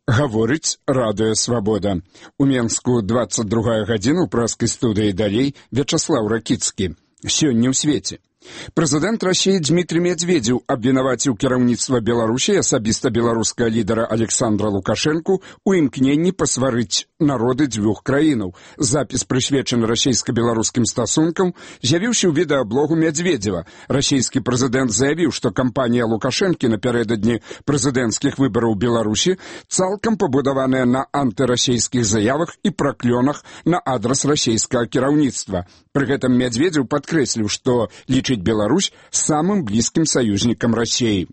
Гаворыць Радыё Свабода. У Менску 22 гадзіна ў праскай студыі далей Вячаслаў Ракіцкі. Сёння ў свеце. Прэзідэнт Расіі Дмітрий Медведзеў абвінаваціў кіраўніцтва Беларусі, асабіста беларускага лідара Александра Лукашэнку, у імкненні пасварыць народы дзвюх краінаў. Запіс прысвечаны расійска-беларускім стасункам з'явіўся ў відэаблогу Медведзева. Расійскі прэзідэнт заявіў, што кампанія Лукашэнкі напярэдадні прэзідэнцкіх выбараў Беларусі цалкам пабудаваная на антырасійскіх заявах і праклёнах на адрас расійскага кіраўніцтва. Пры гэтым Медведзеў падкрэсліў, што лічыць Беларусь самым блізкім саюзнікам Расіі.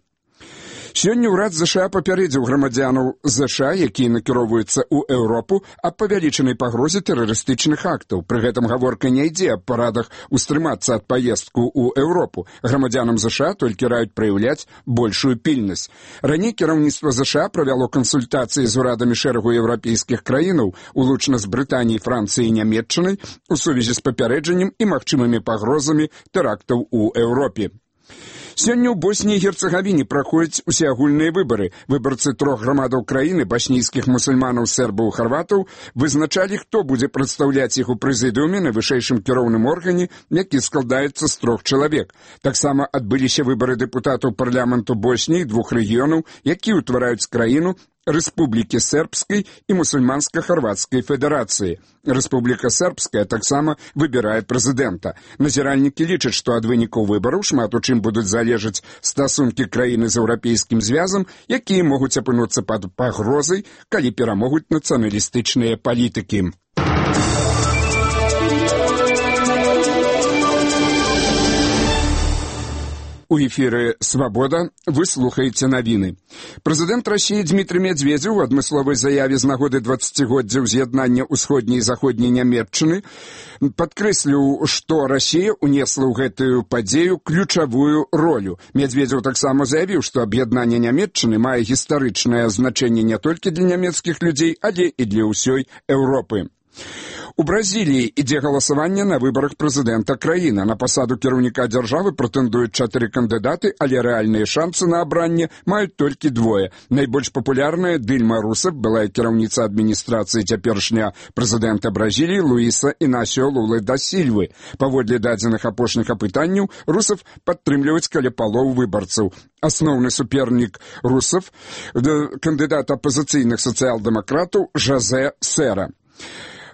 Сёння ўрад ЗША папярэдзіў грамадзянаў ЗША, якія накіроўваюцца ў Еўропу, аб павялічанай пагрозе тэрарыстычных актаў. Пры гэтым гаворка не ідзе аб парадах устрымацца ад паездку ў Еўропу. Грамадзянам ЗША толькі раюць праяўляць большую пільнасць. Раней кіраўніцтва ЗША правяло кансультацыі з урадамі шэрагу еўрапейскіх краінаў, улучна з Брытаніяй, Францыяй і Нямецчынай, у сувязі з папярэджаннем і магчымымі пагрозамі тэрактаў у Еўропе. Сёння ў Босніі і Герцагавіне праходзяць усеагульныя выбары. Выбарцы трох грамадаў краіны, баснійскіх мусульманаў, сербаў і харватаў, вызначалі, хто будзе прадстаўляць іх у прэзідыуме на вышэйшым кіроўным органе, які складаецца з 3 чалавек. Таксама адбыліся выбары дэпутатаў парламенту Босніі двух рэгіёнаў, якія ўтвараюць краіну Рэспублікі Сербскай і Мусульманска-Харватскай федэрацыі. Рэспубліка Сербская таксама выбірае прэзідэнта. Назіральнікі лічаць, што ад вынікаў выбараў шмат у чым будуць залежаць стасункі краіны з еўрапейскім звязам, якія могуць апынуцца пад пагрозай, калі перамогуць нацыяналістычныя палітыкі. У эфіры «Свабода» вы слухаеце навіны. Прэзідэнт Расіі Дмітрий Медведзеў у адмысловай заяве з нагоды 20-годдзя ўз'яднання ўсходняй і заходняй Нямецчыны падкрэсліў, што Расія ўнесла ў гэтую падзею ключавую ролю. Медведзеў таксама заявіў, што аб'яднанне Нямецчыны мае гістарычнае значэнне не толькі для нямецкіх людзей, але і для ўсёй Еўропы. У Бразіліі ідзе галасаванне на выбарах прэзідэнта краіны. На пасаду кіраўніка дзяржавы прэтэндуюць 4 кандыдаты, але рэальныя шансы на абранне маюць толькі 2. Найбольш папулярная Дильма Русеф, былая кіраўніца адміністрацыі цяперашняга прэзідэнта Бразіліі Луіса Інасіо Лулы да Сільвы. Паводле дадзеных апошніх апытанняў, Русеф падтрымліваюць каля палоў выбарцаў. Асноўны супернік Русеф – кандыдат апазіцыйных сацыял-дэмакратаў Жозе Сера.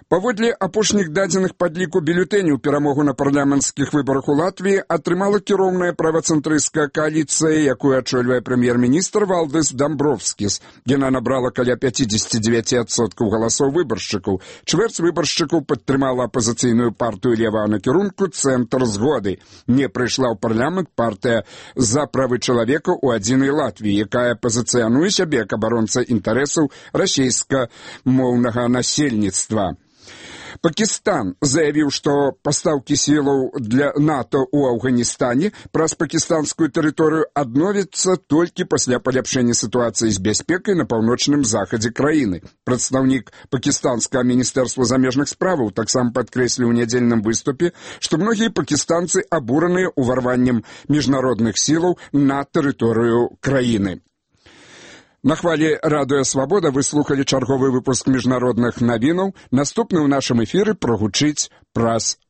Паводле апошніх дадзеных падліку бюлетэняў перамогу на парламенцкіх выбарах у Латвіі атрымала кіроўная правацэнтрысцкая кааліцыя, якую ачольвае прэм'ер-міністр Валдыс Дамбровскіс. Яна набрала каля 59% галасоў выбаршчыкаў. Чвэрць выбаршчыкаў падтрымала апазіцыйную партыю левага накірунку «Цэнтр згоды». Не прыйшла ў парламент партыя «За правы чалавека ў адзінай Латвіі», якая пазіцыянуе сябе як абаронца інтарэсаў расійскамоўнага насельніцтва. Пакістан заявіў, што пастаўкі сілаў для НАТО ў Афганістане праз пакістанскую тэрыторыю адновяцца толькі пасля паляпшэння сітуацыі з бяспекай на паўночным захадзе краіны. Прадстаўнік пакістанскага міністэрства замежных справаў таксама падкрэсліў у нядзельным выступе, што многія пакістанцы абураныя ўварваннем міжнародных сілаў на тэрыторыю краіны. На хвалі Радыё Свабода вы слухалі чарговы выпуск міжнародных навінаў. Наступны ў нашым эфіры прагучыць праз